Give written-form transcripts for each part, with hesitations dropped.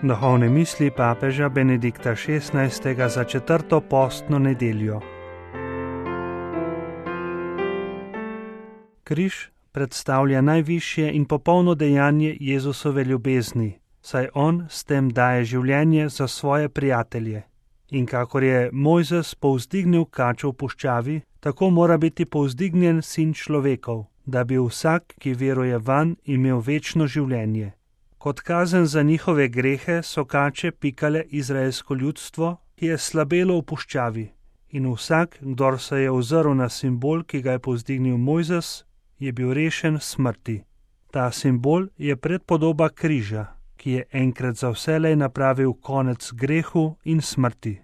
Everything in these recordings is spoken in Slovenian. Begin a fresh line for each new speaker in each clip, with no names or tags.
Duhovne misli papeža Benedikta XVI. Za 4. postno nedeljo. Križ predstavlja najvišje in popolno dejanje Jezusove ljubezni, saj on s tem daje življenje za svoje prijatelje. In kakor je Mojzes povzdignil kačo v puščavi, tako mora biti povzdignjen Sin človekov, da bi vsak, ki veruje vanj, imel večno življenje. Kot kazen za njihove grehe so kače pikale izraelsko ljudstvo, ki je slabelo v puščavi. In vsak, kdor se je ozrl na simbol, ki ga je povzdignil Mojzes, je bil rešen smrti. Ta simbol je predpodoba križa, ki je enkrat za vselej napravil konec grehu in smrti.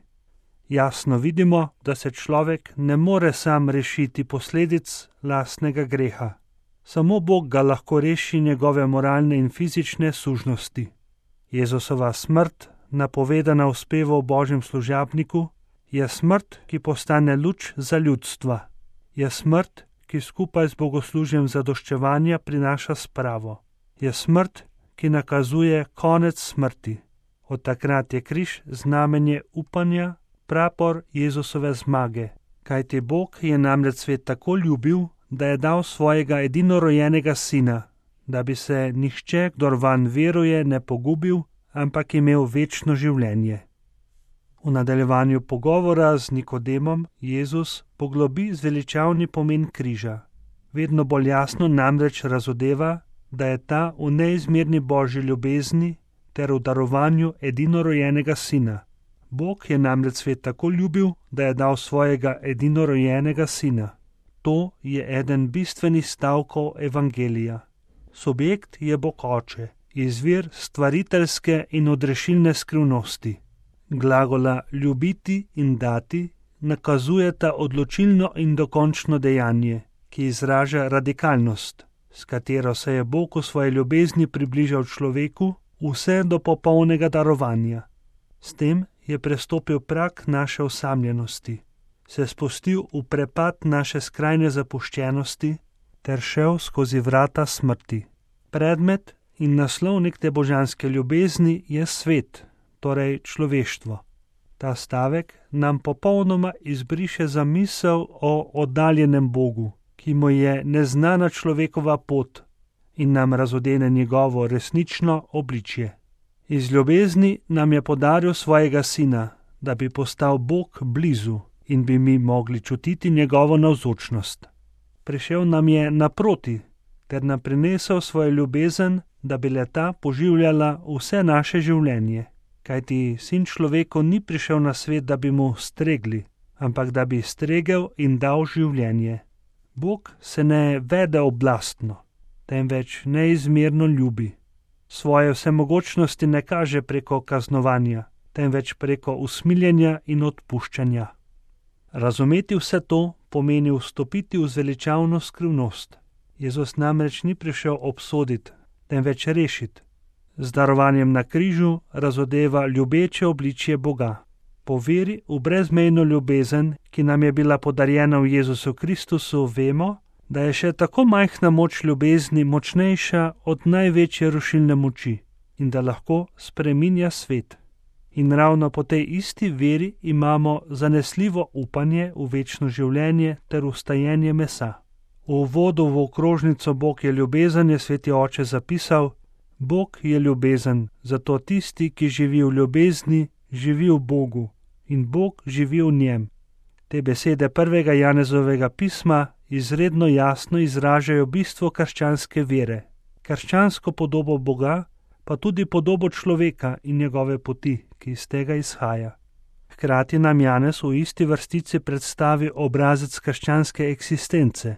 Jasno vidimo, da se človek ne more sam rešiti posledic lastnega greha. Samo Bog ga lahko reši njegove moralne in fizične sužnosti. Jezusova smrt, napovedana v spevu o Božjem služabniku, je smrt, ki postane luč za ljudstva. Je smrt, ki skupaj z bogoslužjem zadoščevanja prinaša spravo. Je smrt, ki nakazuje konec smrti. Od takrat je križ znamenje upanja, prapor Jezusove zmage. Kajti Bog je namreč svet tako ljubil, da je dal svojega edinorojenega sina, da bi se nihče, kdor vanj veruje, ne pogubil, ampak imel večno življenje. V nadaljevanju pogovora z Nikodemom Jezus poglobi zveličavni pomen križa. Vedno bolj jasno namreč razodeva, da je ta v neizmerni Božji ljubezni ter v darovanju edinorojenega sina. Bog je namreč svet tako ljubil, da je dal svojega edinorojenega sina. To je eden bistvenih stavkov evangelija. Subjekt je Bog Oče, izvir stvariteljske in odrešilne skrivnosti. Glagola ljubiti in dati nakazujeta odločilno in dokončno dejanje, ki izraža radikalnost, s katero se je Bog v svoji ljubezni približal človeku vse do popolnega darovanja. S tem je prestopil prag naše osamljenosti, se spustil v prepad naše skrajne zapuščenosti ter šel skozi vrata smrti. Predmet in naslovnik te božanske ljubezni je svet, torej človeštvo. Ta stavek nam popolnoma izbriše zamisel o oddaljenem Bogu, ki mu je neznana človekova pot, in nam razodene njegovo resnično obličje. Iz ljubezni nam je podaril svojega sina, da bi postal Bog blizu in bi mi mogli čutiti njegovo navzočnost. Prišel nam je naproti, ter nam prinesel svojo ljubezen, da bi le-ta poživljala vse naše življenje. Kajti sin človeku ni prišel na svet, da bi mu stregli, ampak da bi stregel in dal življenje. Bog se ne vede oblastno, temveč neizmerno ljubi. Svoje vsemogočnosti ne kaže preko kaznovanja, temveč preko usmiljenja in odpuščanja. Razumeti vse to pomeni vstopiti v zveličavno skrivnost. Jezus namreč ni prišel obsoditi, temveč rešiti. Z darovanjem na križu razodeva ljubeče obličje Boga. Po veri v brezmejno ljubezen, ki nam je bila podarjena v Jezusu Kristusu, vemo, da je še tako majhna moč ljubezni močnejša od največje rušilne moči in da lahko spreminja svet. In ravno po tej isti veri imamo zanesljivo upanje v večno življenje ter vstajenje mesa. V uvodu v okrožnico Bog je ljubezen je sveti oče zapisal: Bog je ljubezen, zato tisti, ki živi v ljubezni, živi v Bogu in Bog živi v njem. Te besede 1. Janezovega pisma izredno jasno izražajo bistvo krščanske vere, krščansko podobo Boga, pa tudi podobo človeka in njegove poti, ki iz tega izhaja. Hkrati nam Janez v isti vrstici predstavi obrazec krščanske eksistence.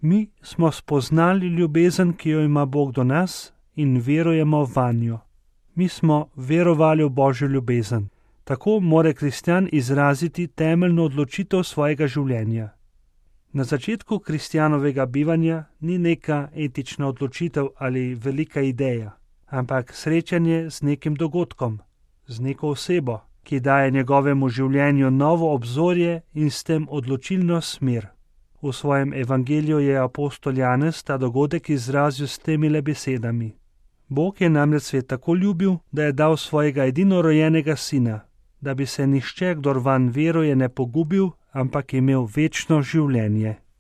Mi smo spoznali ljubezen, ki jo ima Bog do nas, in verujemo vanjo. Mi smo verovali v Božjo ljubezen. Tako mora kristjan izraziti temeljno odločitev svojega življenja. Na začetku kristjanovega bivanja ni neka etična odločitev ali velika ideja, ampak srečanje z nekim dogodkom, z neko osebo, ki daje njegovemu življenju novo obzorje in s tem odločilno smer. V svojem evangeliju je apostol Janez ta dogodek izrazil s temile besedami: Bog je namreč svet tako ljubil, da je dal svojega edinorojenega sina, da bi se nihče, kdor vanj veruje, ne pogubil, ampak imel večno življenje.